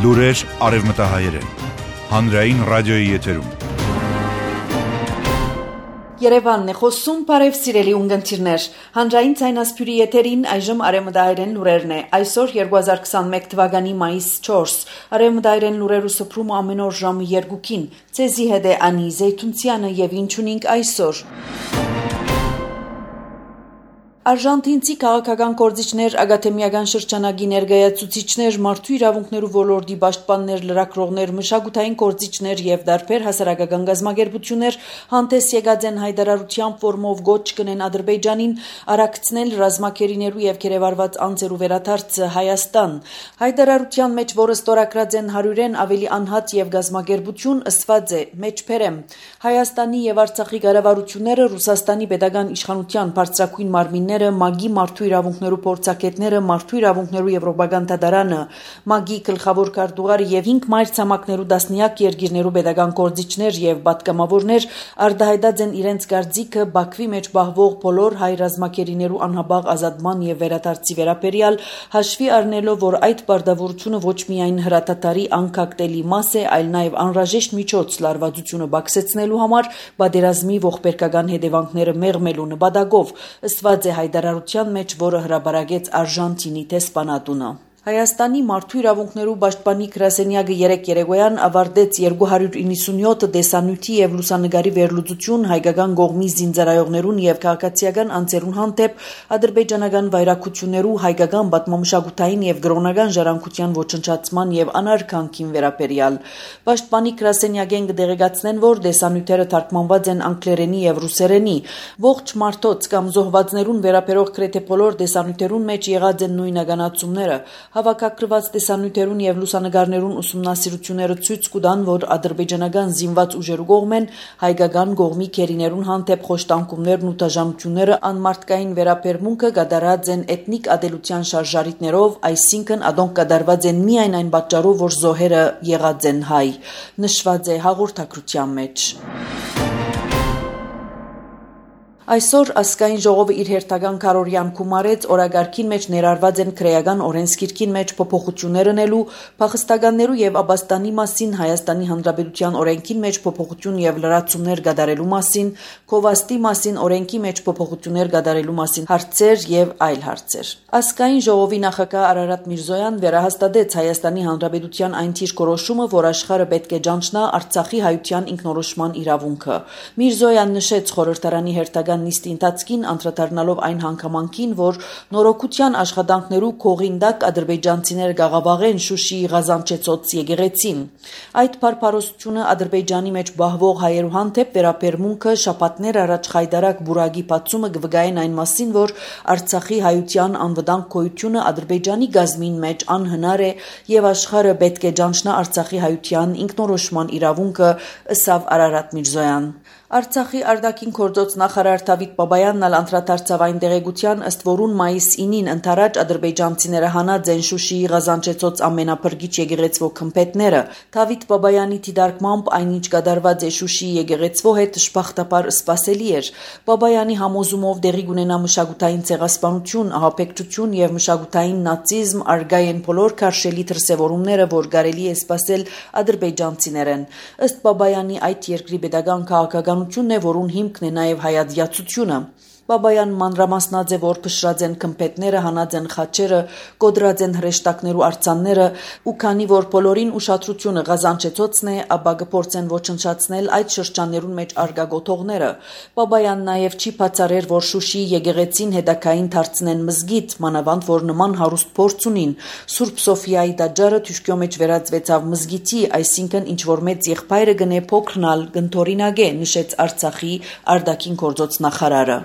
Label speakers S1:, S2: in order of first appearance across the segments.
S1: Լուրեր արևմտահայերեն։ Հանրային ռադիոյի եթերում։
S2: Երևանն է խոսում, բարև սիրելի ունգընտիրներ։ Հանրային ցայնասփյուրի եթերին այժմ արևմտահայերեն լուրերն է։ Այսօր 2021 թվականի մայիս 4։ Արևմտահայերեն լուրերու սփռումը ամեն օր ժամը 2-ին։ Ցեզի հետ է Անի Զեյթունցյանը եւ ինչ ունենք այսօր։ Արժանտինցի քաղաքական գործիչներ, ակադեմիական շրջանագի ներկայացուցիչներ, մարդու իրավունքներու ոլորտի պաշտպաններ, լրագրողներ, մշակութային գործիչներ եւ դարբեր հասարակական գազམ་ագերբություններ հանդես եկած են հայտարարության ֆորմով գոչ կնեն Ադրբեջանին արագցնել ռազմակերիներու եւ կերևարված անձերու վերադարձը Հայաստան։ Հայտարարության մեջ, որը ստորագրած են 100-ն ավելի անհատ եւ գազམ་ագերբություն, ըսված է. մեջբերեմ Հայաստանի եւ Արցախի կառավարությունները Ռուսաստանի պետական իշխանության բարձրակույն մարմինները ՄԱԳ-ի մարդու իրավունքներու փորձագետները, մարդու իրավունքներու եվրոպական դատարանը, ՄԱԳ-ի գլխավոր քարտուղարը եւ 5 մայրցամաքներու 10-յակ երկիրներու պետական գործիչներ եւ պատգամավորներ արտահայտած են իրենց կարծիքը Բաքվի մեջ բահվող բոլոր հայ ռազմակերիներու անհաբաղ ազատման եւ վերադարձի վերաբերյալ, հաշվի առնելով, որ այդ պարտավորությունը ոչ միայն հրատատարի անկախտելի մաս է, այլ նաեւ անհրաժեշտ միջոց լարվածությունը բացեցնելու համար պատերազմի ողբերգական հետևանքները մեղմելու նպատակով, ըսված է հայտարարության մեջ, որը հրապարակեց Արժանտինի դեսպանատունը։ Հայաստանի մարդու իրավունքներու պաշտպանի գրասենյակը երեկ երեկոյան ավարտեց 297 տեսանյութի եւ լուսանկարի վերլուծություն հայկական կողմի զինծառայողներուն եւ քաղաքացիական անձերուն հանդեպ ադրբեջանական վայրակություններու հայկական պատմամշակութային եւ գրոնական ժառանգության ոչնչացման եւ անարգանքին վերաբերյալ։ Պաշտպանի գրասենյակեն կդեղեկացնեն, որ տեսանյութերը թարգմանված են անգլերենի եւ ռուսերենի։ Ողջ մարդոց կամ զոհվածներուն վերաբերող գրեթե բոլոր տեսանյութերուն մեջ եղած են նույնականացումները։ Հավաքագրված տեսանյութերուն եւ լուսանկարներուն ուսումնասիրությունները ցույց կտան, որ ադրբեջանական զինված ուժերու կողմեն հայկական կողմի քերիներուն հանդեպ խոշտանգումներն ու դաժանությունները անմարտկային վերաբերմունքը կատարած են էթնիկ ադելության շարժարիտներով, այսինքն ադոնք կատարված են միայն այն պատճառով, որ զոհերը եղած են հայ, նշված է հաղորդագրության մեջ։ Այսօր ազգային ժողովը իր հերթական քարորյան գումարեց օրագարկին մեջ ներառված են քրեական օրենսգիրքին մեջ փոփոխություններ անելու, փախստականներու եւ աբաստանի մասին Հայաստանի Հանրապետության օրենքին մեջ փոփոխություն եւ լրացումներ կատարելու մասին, քովաստի մասին օրենքի մեջ փոփոխություններ կատարելու մասին հարցեր եւ այլ հարցեր։ Ազգային ժողովի նախագահ Արարատ Միրզոյան վերահաստատեց Հայաստանի Հանրապետության այն թիրքորոշումը, որ աշխարհը պետք է ճանչնա Արցախի հայության ինքնորոշման իրավունքը։ Միրզոյան նշեց խորհրդարանի հերթական նիստի ընթացքին անդրադառնալով այն հանգամանքին, որ նորոգության աշխատանքներու կողինդակ ադրբեջանցիները գաղավաղեն Շուշիի Ղազանչեցոց եկեղեցին։ Այդ փարփարոսությունը Ադրբեջանի մեջ բահվող հայերու հանդեպ վերաբերմունքը շաբաթներ առաջ խայտարակ բուրագի բացումը կվգային այն մասին, որ Արցախի հայության անվտանգ գոյությունը Ադրբեջանի գազմին մեջ անհնար է եւ աշխարհը պետք է ճանչնա Արցախի հայության ինքնորոշման իրավունքը, ըսավ Արարատ Միրզոյան։ Արցախի արտաքին գործոց նախարար Դավիթ Բաբայանն անդրադարձավ այն տեղեկության, ըստ որուն մայիս 9-ին ընթരാճ ադրբեջանցիները հանած են Շուշիի Ղազանչեցոց ամենափրկիչ եկեղեցվո քմփեթները։ Դավիթ Բաբայանի դիտարկմամբ այնինչ կատարված է Շուշիի եկեղեցվո հետ շփախտապար սպասելի էր։ Բաբայանի համոզումով դեղի կունենա մշակութային ցեղասպանություն, ահաբեկչություն եւ մշակութային նացիզմ, արգայեն բոլոր քարշելի դրսևորումները, որ կարելի է սպասել ադրբեջանցիներեն։ Ըստ Բաբայանի այդ երկրի պետական քաղաքականությունն է, որուն հիմքն է նաեւ հայացությունը։ Բաբայան մանրամասնած է, որ փշրած են քմփեթները, հանած են խաչերը, կոդրած են հրեշտակներու արձանները, ու քանի որ բոլորին ուշադրությունը Ղազանչեցոցն է, ապա կփորձեն ոչնչացնել այդ շրջաններուն մեջ արգա գոթողները։ Բաբայան նաև չի բացառեր, որ Շուշիի եկեղեցին հետակային դարձնեն մզգիթ, մանավանդ որ նման հարուստ փորձ ունին։ Սուրբ Սոֆիայի տաճարը թուշկյո մեջ վերածվեցավ մզգիթի, այսինքն ինչ որ մեծ եղբայրը գնե փոքրնալ գնթորինագե, նշեց Արցախի արտաքին գործոց նախարարը։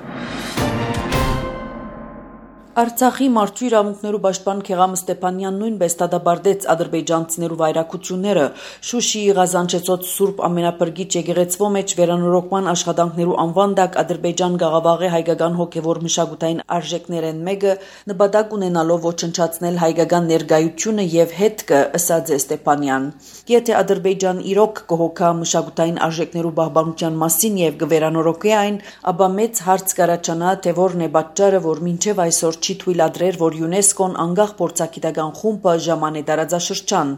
S2: Արցախի մարդու իրավունքներու պաշտպան Քեղամ Ստեփանյան նույնպես դատապարտեց ադրբեջանցիներու վայրակությունները Շուշիի Ղազանչեցոց Սուրբ ամենափրկիչ եկեղեցվո մեջ վերանորոգման աշխատանքներու անվանդակ Ադրբեջան գաղավաղ է հայկական հոգևոր մշակութային արժեքներեն մեկը նպատակ ունենալով ոչնչացնել հայկական ներկայությունը եւ հետքը, ըսած է Ստեփանյան։ Եթե Ադրբեջան իրոք կհոգա մշակութային արժեքներու պահպանության մասին եւ կվերանորոգի այն, ապա մեծ հարց կառաջանա, թե որն է պատճառը, որ մինչեւ այսօր չի թույլատրեր, որ ՅՈՒՆԵՍԿՕ-ն անգախ փորձագիտական խումբը ժամանե դարաձաշրջան։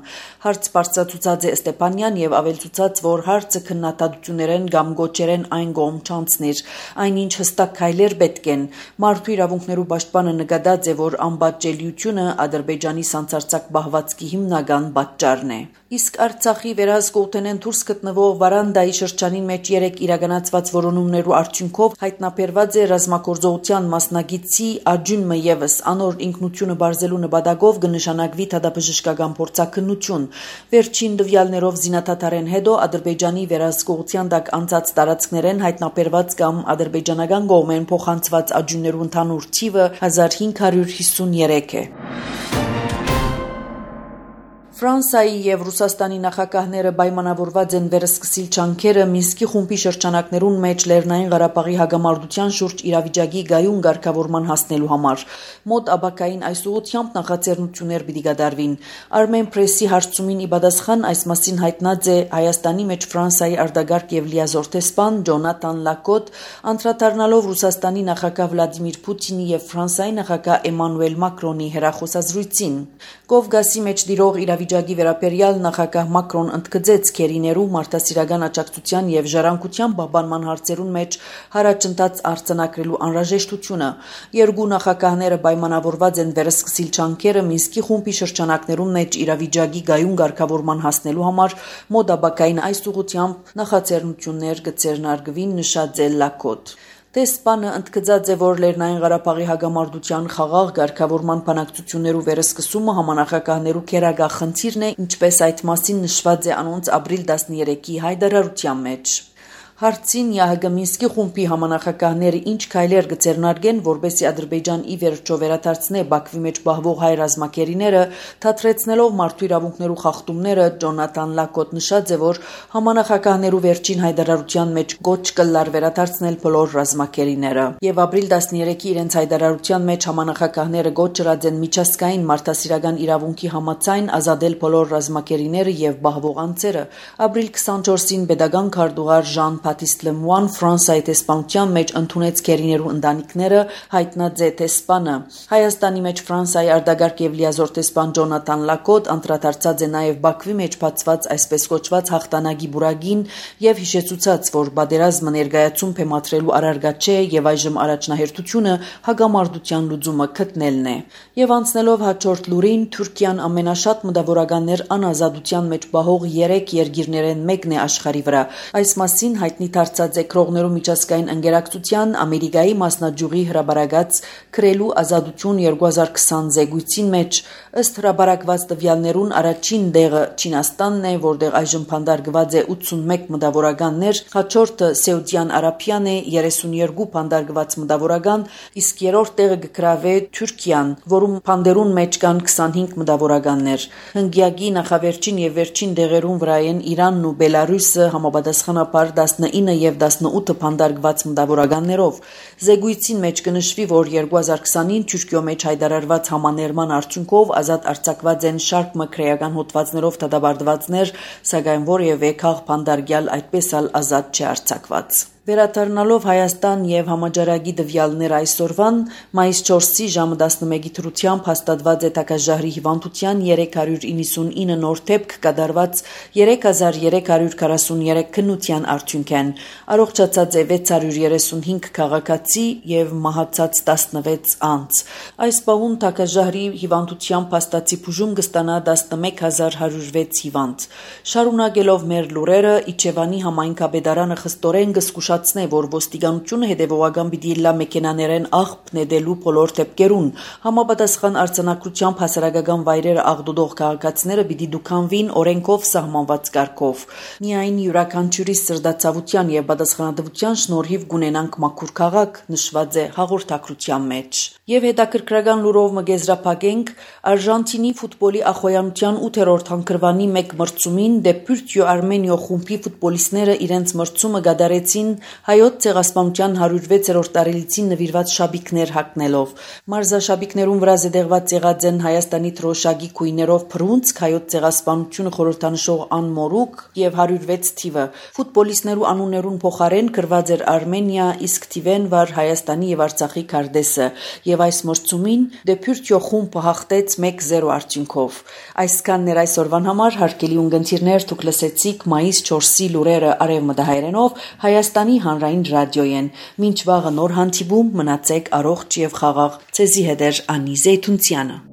S2: Հարց բարձրացուցած է Ստեփանյան եւ ավելցուցած, որ հարցը քննադատություններեն կամ գոչերեն այն կողմ չանցնիր, այնինչ հստակ քայլեր պետք են։ Մարդու իրավունքներու պաշտպանը նկատած է, որ անպատժելիությունը Ադրբեջանի սանձարձակ պահվածքի հիմնական պատճառն է։ Իսկ Արցախի վերահսկողութենեն դուրս գտնվող Վարանդայի շրջանին մեջ 3 իրականացված որոնումներու արդյունքով հայտնաբերված է ռազմագործողության մասնագետի Աջունը եւս անոր ինքնությունը բարձելու նպատակով կնշանակվի դատաբժշկական փորձաքննություն։ Վերջին տվյալներով զինադատարեն հետո Ադրբեջանի վերահսկողության տակ անցած տարածքներեն հայտնաբերված կամ ադրբեջանական կողմեն փոխանցված աջուններու ընդհանուր թիվը 1553 է։ Ֆրանսիայի եւ Ռուսաստանի նախագահները պայմանավորված են վերսկսիլ ջանքերը Մինսկի խումբի շրջանակներուն մեջ Լեռնային Ղարաբաղի հագամարտության շուրջ իրավիճակի գայուն ղեկավարման հասնելու համար։ Մոտ աբակային այս ուղղությամբ նախաձեռնություններ պիտի կատարվին։ Armen Press-ի հարցումին ի պատասխան այս մասին հայտնած է Հայաստանի մեջ Ֆրանսիայի արտագաղթ եւ լիազոր տեսփան Ջոնաթան Լակոտ, անդրադառնալով Ռուսաստանի նախագահ Վլադիմիր Պուտինի եւ Ֆրանսիայի նախագահ Էմանուել Մակրոնի հեռախոսազրույցին։ Կովկասի մեջ դիրող իրավիճակի վերաբերյալ նախագահ Մակրոն ընդգծեց քերիներու մարդասիրական աջակցության եւ ժառանգության պահպանման հարցերուն մեջ հարաճընթաց արձանագրելու անհրաժեշտությունը։ Երկու նախագահները պայմանավորված են վերսկսիլ ջանքերը Մինսկի խումբի շրջանակներուն մեջ իրավիճակի գայուն ղեկավարման հասնելու համար մոտ աբակային այս ուղղությամբ նախաձեռնություններ կձեռնարկվին, նշած է Լակոտ։ Տեսփանը ընդգծած է, որ Լեռնային Ղարաբաղի հագամարտության խաղաղ ղեկավարման բանակցություններու վերսկսումը համանախագահներու քերագահ խնդիրն է, ինչպես այդ մասին նշված է անոնց ապրիլ 13-ի հայտարարության մեջ։ Հարցին ՀՀԳ Մինսկի խումբի համանախագահները ինչ քայլեր կձեռնարկեն, որպեսզի Ադրբեջան ի վերջո վերադարձնե Բաքվի մեջ պահվող հայ ռազմակերիները, թատրեցնելով մարդու իրավունքներու խախտումները, Ջոնաթան Լակոտ նշած է, որ համանախագահներու վերջին հայտարարության մեջ գոչ կլար վերադարձնել բոլոր ռազմակերիները։ Եվ ապրիլ 13-ի իրենց հայտարարության մեջ համանախագահները գոչ ըրած են միջազգային մարդասիրական իրավունքի համաձայն ազատել բոլոր ռազմակերիները եւ պահվող անձերը։ Ապրիլ 24-ին pedagogan քարտուղար Ժան Բատիստ Լեմուան Ֆրանսիայի տեսփանության մեջ ընդունեց քերիներու ընտանիքները, հայտնած է տեսփանը։ Հայաստանի մեջ Ֆրանսիայի արտագաղթ եւ լիազոր տեսփան Ջոնաթան Լակոտ անդրադարձած է նաեւ Բաքվի մեջ բացված այսպես կոչված հաղթանակի բուրագին եւ հիշեցուցած, որ պատերազմը ներկայացում փեմադրելու առարգա չէ եւ այժմ առաջնահերթությունը հագամարտության լուծումը գտնելն է։ Եվ անցնելով հաջորդ լուրին, Թուրքիան ամենաշատ մտավորականներ անազատության մեջ պահող 3 երկիրներեն մեկն է աշխարհի վրա։ Այս մասին հայտնի դարձած է Քրողներու միջազգային ընկերակցության Ամերիկայի մասնաճյուղի հրաբարակած Քրելու ազատություն 2020 զեկույցին մեջ, ըստ հրաբարակված տվյալներուն առաջին տեղը Չինաստանն է, որտեղ այժմ փանդարգված է 81 մտավորականներ, հաջորդը Սաուդյան Արաբիան է 32 փանդարգված մտավորական, իսկ երրորդ տեղը կգրավե Թուրքիան, որում փանդերուն մեջ կան 25 մտավորականներ։ Հնգյակի նախավերջին եւ վերջին տեղերուն վրա են Իրանն ու Բելարուսը համապատասխանաբար 19 եւ 18 փանդարգված մտավորականներով։ Զեկույցին մեջ կնշվի, որ 2020-ին Թուրքիո մեջ հայտարարված համաներման արդյունքով ազատ արձակված են շարք մկրեական հոդվածներով դատապարտվածներ, սակայն որևէ քաղ փանդարգյալ այդպես ալ ազատ չի արձակված։ Վերադառնալով Հայաստան եւ համաճարակի տվյալներ այսօրվան, մայիս 4-ի ժամը 11-ի թրությամբ հաստատված է Տակաժահրի հիվանդության 399 նոր դեպք կատարված 3343 քննության արդյունքեն։ Առողջացած է 635 քաղաքացի եւ մահացած 16 անձ։ Այս պահուն Տակաժահրի հիվանդությամբ հաստատի բուժում կստանա 11106 հիվանդ։ Շարունակելով մեր լուրերը, Իջևանի համայնքապետարանը խստորեն կզգուշացնե, որ ոստիկանությունը հետևողական պիտի լա մեքենաներեն աղբ նետելու բոլոր դեպքերուն։ Համապատասխան արձանագրությամբ հասարակական վայրերը աղդոդող քաղաքացիները պիտի դուքանվին օրենքով սահմանված կարգով։ Միայն յուրաքանչյուրի սրտացավության եւ պատասխանատվության շնորհիվ կունենանք մաքուր քաղաք, նշված է հաղորդակցության մեջ։ Եվ հետաքրքրական լուրով մգեզրափակենք Արժանտինի ֆուտբոլի ախոյանության 8-րդ հանգրվանի մեկ մրցումին Դեպուրտյո Արմենիո խումբի ֆուտբոլիստները իրենց մրցումը կատարեցին հայոց ցեղասպանության 106-րդ տարելիցին նվիրված շաբիքներ հագնելով։ Մարզաշաբիքներում վրա զետեղված եղած են Հայաստանի թրոշակի քույներով փռունցք, հայոց ցեղասպանությունը խորհրդանշող անմորուք եւ 106 թիվը։ Ֆուտբոլիստներու անուններուն փոխարեն գրված էր Արմենիա, իսկ թիվեն վար Հայաստանի եւ Արցախի քարտեզը, եւ այս մրցումին Դեփյուրտյո խումբը հաղթեց 1-0 արդյունքով։ Այսքանն էր այսօրվան համար, հարգելի ունգընտիրներ, դուք լսեցիք մայիս 4-ի լուրերը արևմտահայերենով Հայաստանի հանրային ռադիոյեն։ Մինչ վաղը նոր հանդիպում, մնացեք առողջ եւ խաղաղ։ Ցեզի հետ է Անի Զեյթունցյանը։